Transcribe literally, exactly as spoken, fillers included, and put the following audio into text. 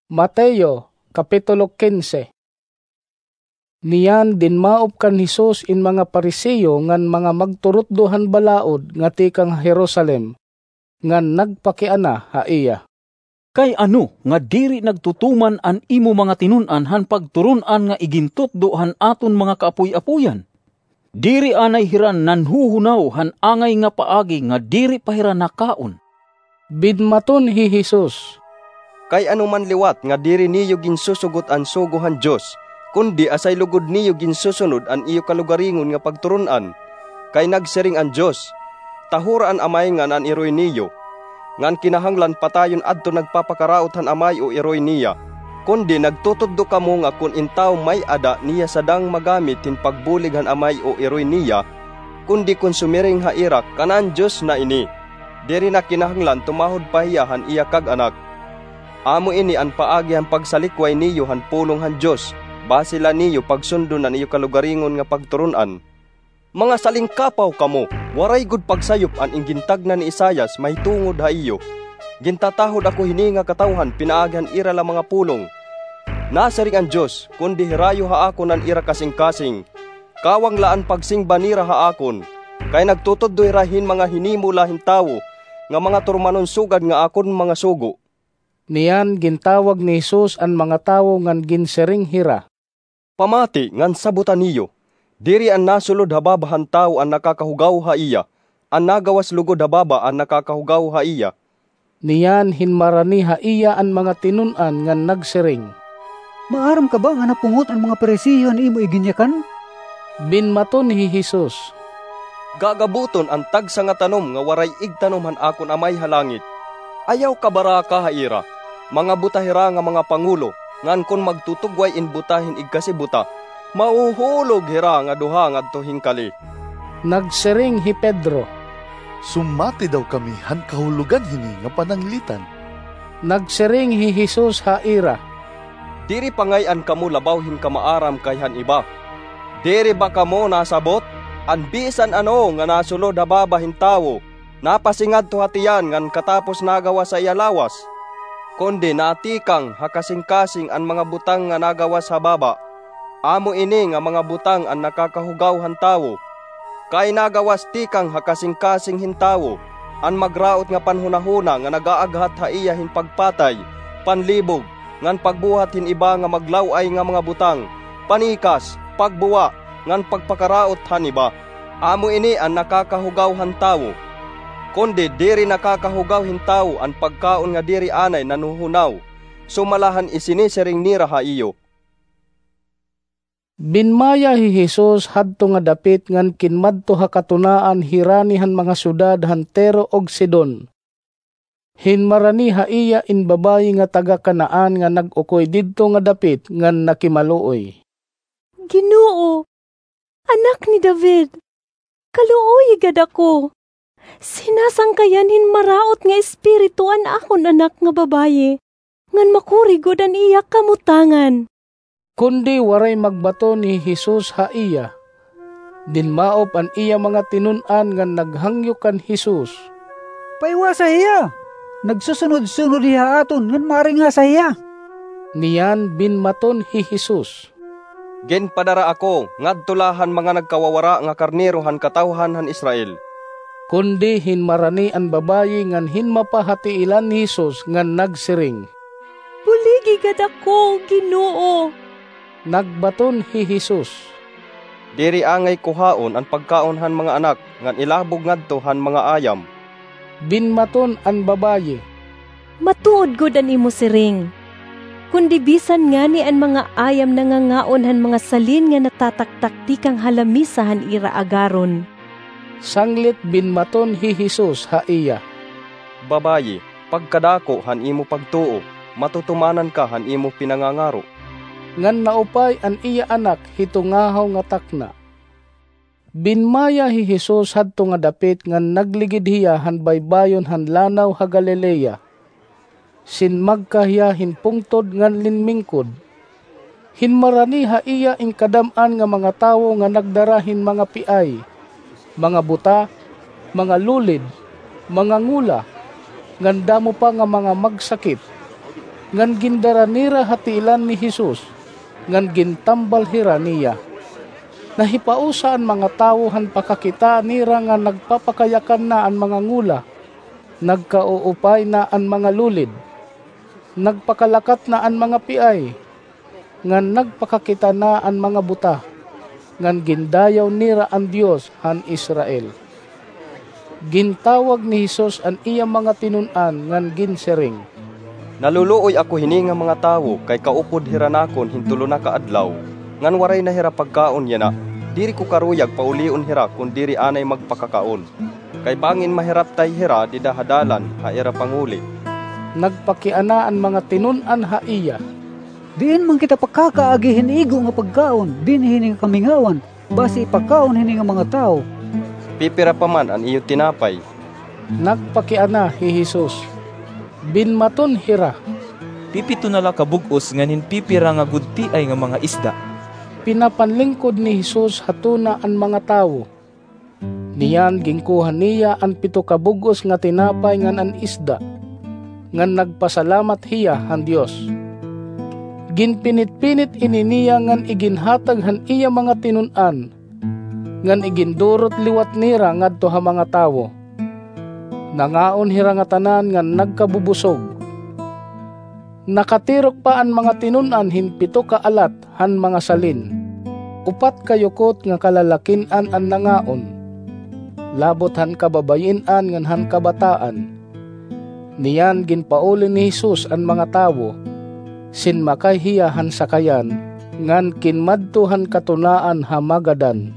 Mateo, Kapitulo kinse. Niyan dinmaop kan Jesus in mga Pariseo ngan mga magturutdo han balaod nga tikang ha Jerusalem, ngan nagpakiana ha iya. Kay ano nga diri nagtutuman an imo mga tinun-an han pagturun-an nga igintutdo han aton mga kaapoy-apoyan? Diri anay hira nanhuhunaw han angay nga paagi nga diri pa hira nakaon? Binmaton hi Jesus. Kay ano man liwat nga diri niyo ginsusugot an sugo han Dios, kundi asay lugod niyo ginsusunod an iyo kalugaringon nga pagturun-an? Kay nagsiring an Dios, tahura an amay ngan an iroy niyo. Ngan kinahanglan patayon adton nagpapakaraot han amay o iroy niya. Kundi nagtutudlo kamo nga kon in tawo may-ada niya sadang magamit hin pagbulig han amay o iroy niya, kundi kon sumiring ha ira kan an Dios na ini, diri na kinahanglan tumahod pa hiya han iya kag-anak. Amo ini an paagi han pagsalikway niyo han pulong han Dios, basi la niyo pagsundon an iyo kalugaringon nga pagturun-an. Mga salingkapaw kamo! Waray gud pagsayop an ingintagna ni Isaias mahitungod ha iyo. Gintatahod ako hini nga katawhan pinaagi han ira la mga pulong. Nasiring an Dios, kundi hirayo ha akon an ira kasingkasing. Kawang la an pagsingba nira ha akon, kay nagtutudlo hira hin mga hinimo la hin tawo nga mga turmanon sugad nga akon mga sugo. Niyan gintawag ni Jesus an mga tawo ngan ginsiring hira. Pamati ngan sabota niyo, diri an nasulod ha baba han tawo an nakakahugaw ha iya, an nagawas lugod ha baba an nakakahugaw ha iya. Niyan hinmarani ha iya an mga tinun-an ngan nagsiring. Maaram ka ba nga napungot an mga Pariseo han imo iginyakan? Binmaton hi Jesus. Gagabuton an tagsa nga tanom nga waray igtanom han akon Amay ha langit. Ayaw kabaraka ha ira. Mga buta hira nga mga pangulo, ngan kon magtutugway in buta hin igkasi buta, mahuhulog hira nga duha ngadto hin kali. Nagsiring hi Pedro. Sumati daw kami han kahulogan hini nga pananglitan. Nagsiring hi Jesus ha ira. Diri pangay-an kamo labaw hin kamaaram kay han iba. Diri ba kamo nasabot? An bisan ano nga nasulod ha baba hin tawo, napasingadto ha tiyan ngan katapos nagawas ha iya lawas. Kundi natikang ha kasingkasing an mga butang nga nagawas ha baba. Amo ini nga mga butang an nakakahugaw han tawo. Kay nagawas tikang ha kasingkasing hin tawo an magraot nga panhunahuna nga nagaaghat ha iya hin pagpatay, panlibog, ngan pagbuhat hin iba nga maglaw-ay nga mga butang, panikas, pagbuwa, ngan pagpakaraot han iba. Amo ini an nakakahugaw han tawo. Kundi diri nakakahugaw hin tawo an pagkaon nga diri anay nanhuhunaw, sumala han isinisiring nira ha iyo. Binmaya hi Jesus hadto nga dapit ngan kinmadto ha katunaan hirani han mga syudad han Tiro ug Sidon. Hinmarani ha iya in babayi nga taga-Canaan nga nag-ukoy didto nga dapit ngan nakimaluoy. Ginoo, Anak ni David, kaluoyi gad ako. Sinasangkayan hin maraot nga espiritu an akon anak nga babayi, ngan makuri gud an iya kamutangan. Kundi waray magbaton hi Jesus ha iya. Dinmaop an iya mga tinun-an ngan naghangyo kan Jesus. Paiwasa hiya! Nagsusunod-sunod hiya ha aton ngan maaringasa hiya. Niyan binmaton hi Jesus. Ginpadara ako ngadto la han mga nagkawawara nga karnero han katawhan han Israel. Kundi hinmarani an babayi ngan hinmapa ha tiilan ni Jesus ngan nagsiring. Buligi gad ako, Ginoo! Nagbaton hi Jesus. Diri angay kuhaon an pagkaon han mga anak ngan ilabog ngadto han mga ayam. Binmaton an babayi. Matuod gud an imo siring. Kundi bisan ngani an mga ayam nangangaon han mga salin nga natataktak tikang ha lamisa han ira agaron. Sanglit binmaton hi Jesus ha iya. Babayi, pagkadako han imo pagtuo, matutumanan ka han imo pinangangaro. Ngan naupay an iya anak hito ngahaw nga takna. Binmaya hi Jesus hadto nga dapit ngan nagligid hiya han baybayon han Lanaw ha Galilea. Sinmagka hiya hin pungtod ngan linmingkod. Hinmarani ha iya in kadam-an nga mga tawo nga nagdara hin mga piay, mga buta, mga lulid, mga ngola, ngan damo pa nga mga magsakit. ngan gindara nira ha tiilan ni Jesus, ngan gintambal hira niya. Nahipausa an mga tawo han pakakita nira nga nagpapakayakan na an mga ngola, nagkauupay na an mga lulid, nagpakalakat na an mga piay, ngan nagpakakita na an mga buta, ngan gindayaw nira an Dios han Israel. Gintawag ni Jesus an iya mga tinun-an ngan ginsiring, "Naluluoy ako hini nga mga tawo kay kaupod hira nakon hin tulo na ka adlaw, ngan waray na hira pagkaon yana. Diri ko karuyag paulion hira kon diri anay magpakakaon. Kay bangin mahiraptay hira dida ha dalan ha ira panguli." Nagpakiana an mga tinun-an ha iya, "Diin man kita pakakaagi hin igo nga pagkaon dinhi hini nga kamingawan, basi ipakaon hini nga mga tawo?" "Pipira pa man an iyo tinapay?" Nagpakiana hi Jesus. Binmaton hira, "Pipito na la ka bug-os ngan hin pipira nga gudtiay nga mga isda." Pinapanlingkod ni Jesus ha tuna an mga tawo. Niyan ginkuha niya an pito ka bug-os nga tinapay ngan an isda, ngan nagpasalamat hiya han Dios. Ginpinitpinit ini niya ngan iginhatag han iya mga tinun-an, ngan igindurot liwat nira ngadto ha mga tawo. Nangaon hira ngatanan ngan nagkabubusog. Nakatirok pa an mga tinun-an hin pito ka alat han mga salin. Upat ka yukot nga kalalakin-an an nangaon, labot han kababayin-an ngan han kabataan. Niyan ginpauli ni Jesus an mga tawo, sinmakay hiya han sakayan, ngan kinmadto han katunaan ha Magadan.